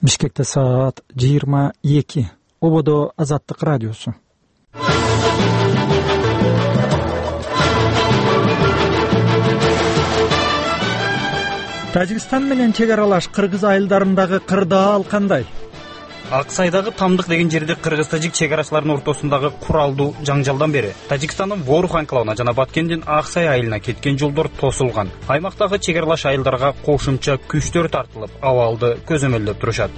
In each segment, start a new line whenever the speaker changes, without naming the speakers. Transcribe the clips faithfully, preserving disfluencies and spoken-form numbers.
Бишкекте саат жыйырма эки. Ободо Азаттык радиосу. Тажикстан менен чек аралаш Кыргыз айылдарындагы кырдаал кандай?
Аксайдагы Тамдык деген жерде кыргыз-тажик чек арачыларынын ортосундагы куралдуу жаңжалдан бери Тажикстандын Ворух анклавына жана Баткендин Аксай айылына кеткен жолдор тосулган. Аймактагы чек аралаш айылдарга кошумча күчтөр тартылып, абалды көзөмөлдөп турушат.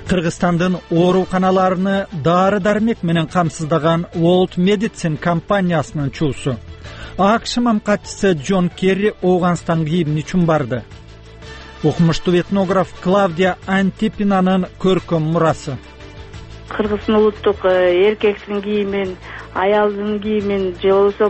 Кыргызстандын ооруканаларыны дары-дармек менен камсыздаган World Medicine компаниясынын чуусу. АКШ мамкатчысы Джон Керри Ооганстанга эмне үчүн барды? Окумуштуу этнограф Клавдия Антипинанын көркөм мурасы.
Кыргыздын улуттук эркектин кийимин, аялдын кийимин, же болбосо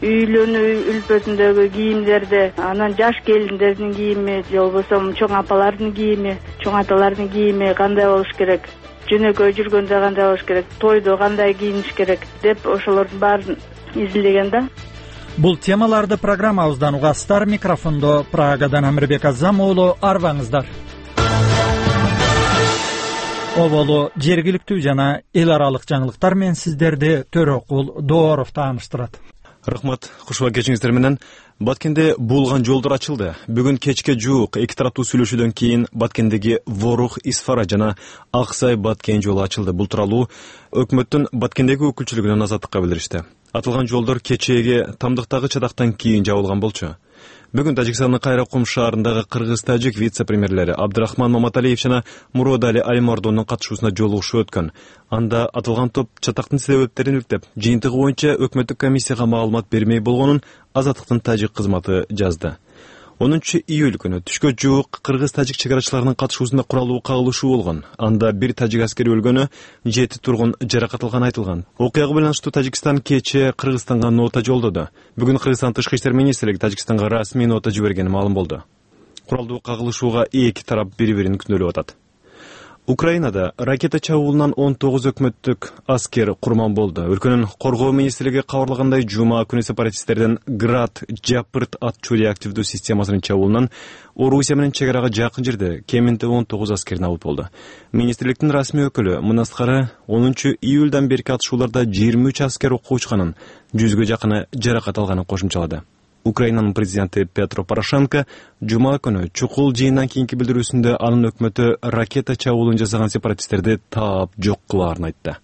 үйлөнүү үлпөсүндөгү кийимдерди, анан жаш келиндердин кийими, же болбосо чоң апалардын кийими, чоң аталардын кийими кандай болуш керек, жөнөкөй жүргөндө кандай болуш керек, тойдо кандай кийиниш керек деп ошолордун баарын изилдеген да.
Бул темаларды программабыздан угасыздар. Микрофондо Прагадан Амирбек Азам уулу, арбаңыздар. Оболу жергиликтүү жана эл аралык жаңылыктар менен сиздерди Төрөкул Дооров тааныштырат.
Рахмат, кушуба кечиңиздер менен. Баткенде булган жолдор ачылды. Бүгүн кечке жуук эки тараптуу сүйлөшүүдөн кийин Баткендеги Ворух Исфара жана Аксай Баткен жолу ачылды. Бул тууралуу өкмөттүн Баткендеги өкүлчүлүгүнөн Азаттыкка билдиришти. Атылган жолдор кечээги Тамдыктагы чатактан кийин жабылган болчу. Бүгүн Тажикстандын Кайракум шаарындагы кыргыз-тажик вице-премьерлери Абдрахман Маматалиев жана Муродали Алимардонун катышуусунда жолугушуу өткөн. Анда атылган топ чатактын себептерин иликтеп, жыйынтыгы боюнча өкмөттүк комиссияга маалымат бермей болгонун Азаттыктын тажик кызматы жазды. онунчу июль күнү түшкө жуук кыргыз-тажик чек арачыларынын катышуусунда куралуу кагылышуу болгон. Анда бир тажик аскери өлгөнү, жети тургун жаракат алганы айтылган. Окуяга байланыштуу Тажикстан кечээ Кыргызстанга нота жолдоду. Бүгүн Кыргызстан тышкы иштер министрлиги Тажикстанга расмий нота жибергени маалым болду. Куралдуу кагылышууга эки тарап бири-бирин күнөөлөп атат. Украинада ракета чабуулунан он тогуз өкмөттүк аскер курман болду. Өлкөнүн коргоо министрлиги кабарлагандай, жума күнү сепаратисттердин Град Жапырт атчуу реактивдүү системасынын чабуулунан Орусия менен чек арага жакын жерде кеминде он тогуз аскер набыт болду. Министрликтин расмий өкүлү мындан онунчу июлдан берки атышууларда жыйырма үч аскер окко учканын, жүзгө жакыны жаракат алганын кошумчалады. Украинанын президенти Петро Порошенко жума күнү чукул жыйындан кийинки билдирүүсүндө анын өкмөтү ракета чабуулун жасаган сепаратисттерди таап жок кылаарын айтты.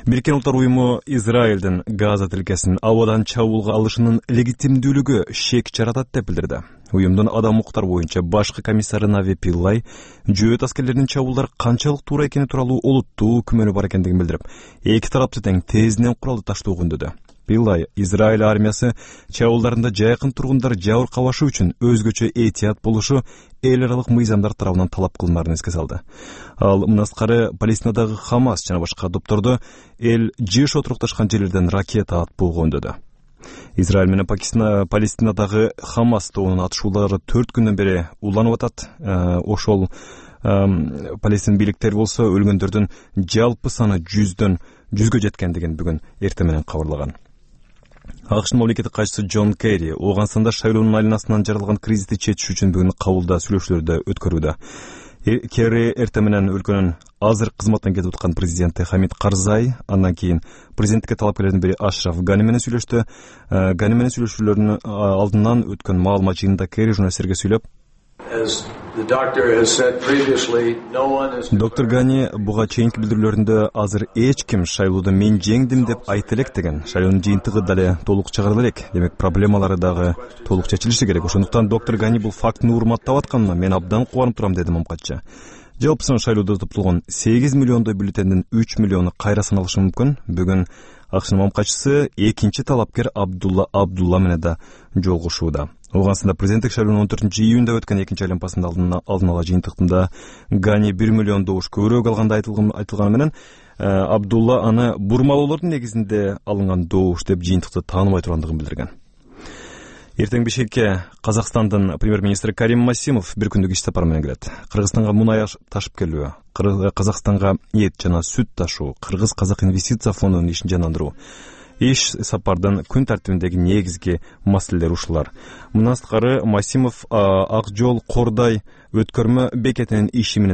Бириккен Улуттар уюму Израилдин Газа тилкесин абадан чабуулга алышынын легитимдүүлүгү шек жаратат деп билдирди. Уюмдун адам укуктар боюнча башкы комиссары Нави Пиллай жөөт аскерлеринин чабуулдар канчалык туура экени тууралуу олуттуу күмөнү бар экендигин билдирип, эки тарапты тең тезинен куралды таштоо күндөдү. Пиллай Израиль армиясы чабуулдарында жайкын тургундар жабыркабашы үчүн өзгөчө этият болушу эл аралык мыйзамдар тарабынан талап кылынаарын эске салды. Ал мындан Палестинадагы Хамас жана башка топторду эл жыш отурукташкан жерлерден ракета атпоого үндөдү. Израиль менен Пакистан Палестинадагы Хамас тобунун атышуулары төрт күндөн бери уланып атат. Ошол Палестин бийликтери болсо өлгөндөрдүн жалпы саны жүздөн жүзгө жеткендигин бүгүн эртең менен кабарлаган. АКШнын мамлекеттик катчысы Джон Керри Ооганстанда шайлоонун айланасынан жаралган кризисти чечиш үчүн бүгүн кабылда сүйлөшүүлөрдү өткөрүүдө. Керри эртең менен өлкөнүн азыр кызматтан кетип аткан президенти Хамид Карзай, андан кийин президенттикке талапкерлердин бири Ашраф Гани менен сүйлөштү. Гани менен сүйлөшүүлөрдүн алдынан өткөн маалымат жыйынында Керри журналисттерге сүйлөп, доктор Гани буга чейинки билдирүүлөрүндө азыр эч ким шайлоодо мен жеңдим деп айта элек деген, шайлоонун жыйынтыгы дале толук чыгарыла элек, демек проблемалары дагы толук чечилиши керек. Ошондуктан доктор Гани бул фактыны урматтап атканына мен абдан кубанып турам, деди мамкатчы. Жалпысынан шайлоодо топтолгон сегиз миллиондой бюллетендин үч миллиону кайра саналышы мүмкүн. Бүгүн АКШнын мамкатчысы экинчи талапкер Абдулла Абдулла менен да жолугушууда. Ооганстанда президенттик шайлоонун он төртүнчү июнда өткөн экинчи айланпасында алдын ала жыйынтыктында Гани бир миллион добуш көбүрөөк алганда айтылганы менен Абдулла аны бурмалоолордун негизинде алынган добуш деп жыйынтыкты тааныбай тургандыгын билдирген. Эртең Бишкекке Казакстандын премьер-министри Карим Масимов бир күндүк иш сапары менен келет. Кыргызстанга мунай ташып келүү, Казакстанга эт жана сүт ташуу, Кыргыз-Казак инвестиция фондунун ишин жандандыруу. Иш сапардын күн тартибиндеги негизги маселелер ушулар. Мындан тышкары Масимов Ак жол Кордай өткөрмө бекетинин иши менен